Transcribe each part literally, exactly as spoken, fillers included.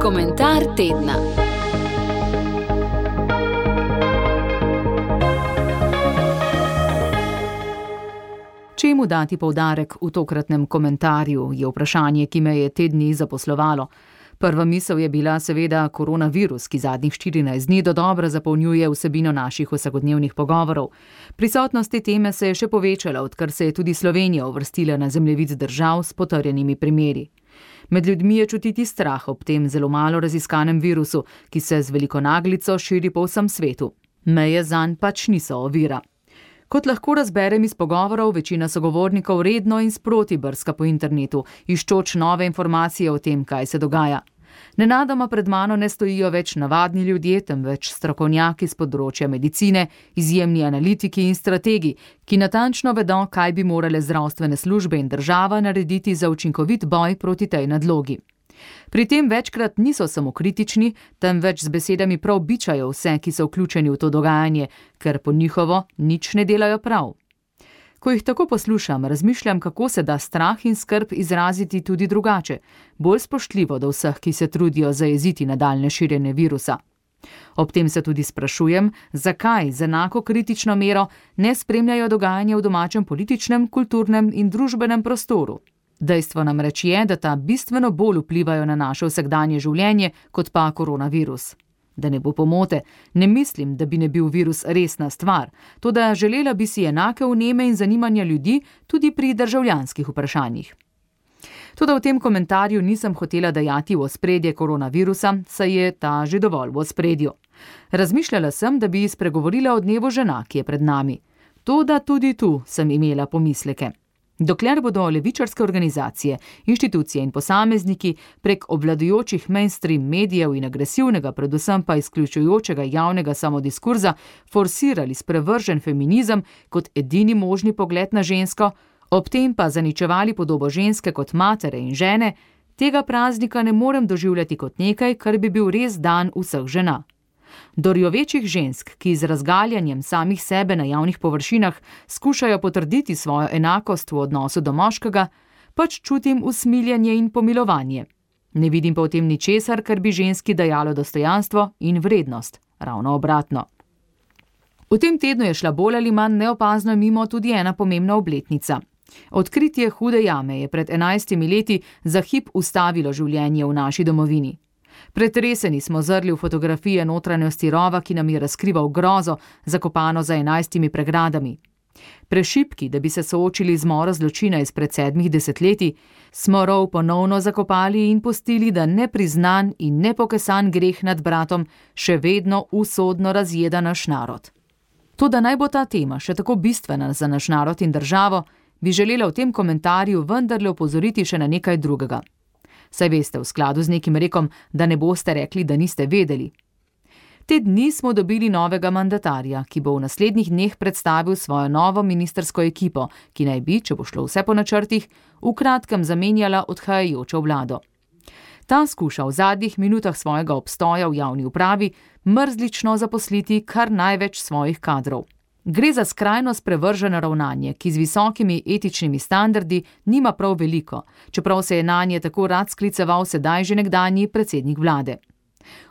Komentar tedna. Čemu dati poudarek v tokratnem komentarju, je vprašanje, ki me je te dni zaposlovalo. Prva misel je bila seveda koronavirus, ki zadnjih štirinajst dni dodobra zapolnjuje vsebino naših vsakodnevnih pogovorov. Prisotnost te teme se je še povečala, odkar se je tudi Slovenija uvrstila na zemljevid držav s potrjenimi primeri. Med ljudmi je čutiti strah ob tem zelo malo raziskanem virusu, ki se z veliko naglico širi po vsem svetu. Meje zanj pač niso ovira. Kot lahko razberem iz pogovorov, večina sogovornikov redno in sproti brska po internetu, iščoč nove informacije o tem, kaj se dogaja. Nenadoma pred mano ne stojijo več navadni ljudje, temveč strokovnjaki z področja medicine, izjemni analitiki in strategi, ki natančno vedo, kaj bi morale zdravstvene službe in država narediti za učinkovit boj proti tej nadlogi. Pri tem večkrat niso samo kritični, temveč z besedami prav bičajo vse, ki so vključeni v to dogajanje, ker po njihovo nič ne delajo prav. Ko jih tako poslušam, razmišljam, kako se da strah in skrb izraziti tudi drugače, bolj spoštljivo do vseh, ki se trudijo zajeziti nadaljnje širjenje virusa. Ob tem se tudi sprašujem, zakaj z enako kritično mero ne spremljajo dogajanje v domačem političnem, kulturnem in družbenem prostoru. Dejstvo namreč je, da ta bistveno bolj vplivajo na naše vsakdanje življenje kot pa koronavirus. Da ne bo pomote, ne mislim, da bi ne bil virus resna stvar, toda želela bi si enake vneme in zanimanja ljudi tudi pri državljanskih vprašanjih. Toda v tem komentarju nisem hotela dajati v ospredje koronavirusa, saj je ta že dovolj v ospredju. Razmišljala sem, da bi spregovorila o dnevu žena, ki je pred nami. Toda tudi tu sem imela pomisleke. Dokler bodo levičarske organizacije, inštitucije in posamezniki prek obvladujočih mainstream medijev in agresivnega, predvsem pa izključujočega javnega samodiskurza forsirali sprevržen feminizem kot edini možni pogled na žensko, ob tem pa zaničevali podobo ženske kot matere in žene, tega praznika ne morem doživljati kot nekaj, kar bi bil res dan vseh žena. Do rjovečih žensk, ki z razgaljanjem samih sebe na javnih površinah skušajo potrditi svojo enakost v odnosu do moškega, pač čutim usmiljenje in pomilovanje. Ne vidim pa v tem ničesar, kar bi ženski dajalo dostojanstvo in vrednost, ravno obratno. V tem tednu je šla bolj ali manj neopazno mimo tudi ena pomembna obletnica. Odkritje Hude jame je pred enajstimi leti za hip ustavilo življenje v naši domovini. Pretreseni smo zrli v fotografije notranjosti rova, ki nam je razkrival grozo, zakopano za enajstimi pregradami. Prešipki, da bi se soočili z moro zločina izpred sedmih desetletij, smo rov ponovno zakopali in pustili, da nepriznan in nepokesan greh nad bratom še vedno usodno razjeda naš narod. Toda naj bo ta tema še tako bistvena za naš narod in državo, bi želela v tem komentarju vendarle opozoriti še na nekaj drugega. Saj veste, v skladu z nekim rekom, da ne boste rekli, da niste vedeli. Te dni smo dobili novega mandatarja, ki bo v naslednjih dneh predstavil svojo novo ministrsko ekipo, ki naj bi, če bo šlo vse po načrtih, v kratkem zamenjala odhajajočo vlado. Ta skuša v zadnjih minutah svojega obstoja v javni upravi mrzlično zaposliti kar največ svojih kadrov. Gre za skrajno sprevrženo ravnanje, ki z visokimi etičnimi standardi nima prav veliko, čeprav se je nanje tako rad skliceval sedaj že nekdanji predsednik vlade.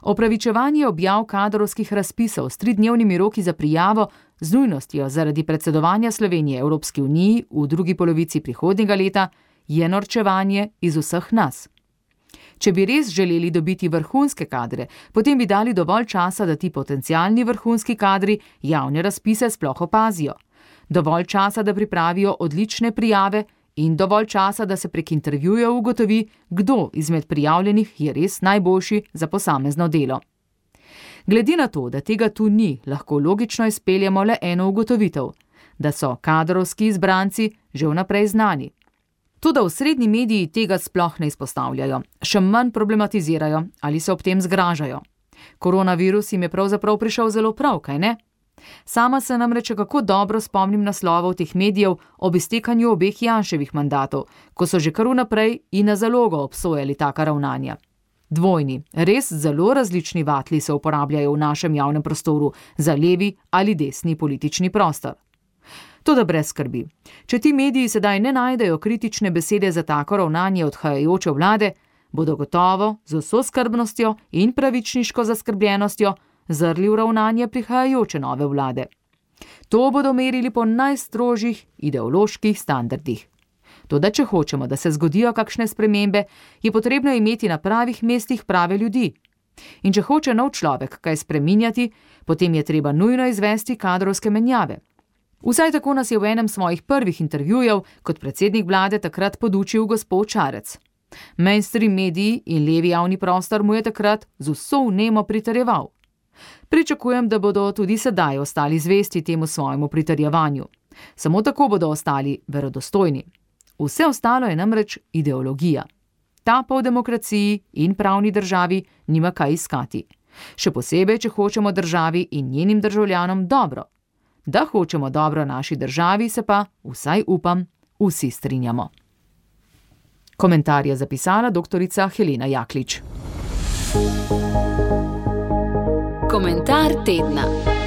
Opravičevanje objav kadrovskih razpisov s tridnevnimi roki za prijavo z nujnostjo zaradi predsedovanja Slovenije Evropski uniji v drugi polovici prihodnjega leta je norčevanje iz vseh nas. Če bi res želeli dobiti vrhunske kadre, potem bi dali dovolj časa, da ti potencialni vrhunski kadri javne razpise sploh opazijo. Dovolj časa, da pripravijo odlične prijave in dovolj časa, da se prek intervjujev ugotovi, kdo izmed prijavljenih je res najboljši za posamezno delo. Glede na to, da tega tu ni, lahko logično izpeljemo le eno ugotovitev, da so kadrovski izbranci že vnaprej znani. Toda v srednji mediji tega sploh ne izpostavljajo, še manj problematizirajo ali se ob tem zgražajo. Koronavirus jim je pravzaprav prišel zelo prav, kaj ne? Sama se namreč kako dobro spomnim naslovov teh medijev ob iztekanju obeh Janševih mandatov, ko so že kar vnaprej in na zalogo obsojali taka ravnanja. Dvojni, res zelo različni vatli se uporabljajo v našem javnem prostoru za levi ali desni politični prostor. Toda brez skrbi. Če ti mediji sedaj ne najdejo kritične besede za tako ravnanje odhajajoče vlade, bodo gotovo z vso skrbnostjo in pravičniško zaskrbljenostjo zrli v ravnanje prihajajoče nove vlade. To bodo merili po najstrožjih ideoloških standardih. Toda če hočemo, da se zgodijo kakšne spremembe, je potrebno imeti na pravih mestih prave ljudi. In če hoče nov človek kaj spreminjati, potem je treba nujno izvesti kadrovske menjave. Vsaj tako nas je v enem svojih prvih intervjujev kot predsednik vlade takrat podučil gospod Šarec. Mainstream mediji in levi javni prostor mu je takrat z vso vnemo pritrjeval. Pričakujem, da bodo tudi sedaj ostali zvesti temu svojemu pritrjevanju. Samo tako bodo ostali verodostojni. Vse ostalo je namreč ideologija. Ta pa v demokraciji in pravni državi nima kaj iskati. Še posebej, če hočemo državi in njenim državljanom dobro. Da hočemo dobro naši državi, se pa, vsaj upam, vsi strinjamo. Komentar je zapisala doktorica Helena Jaklič. Komentar tedna.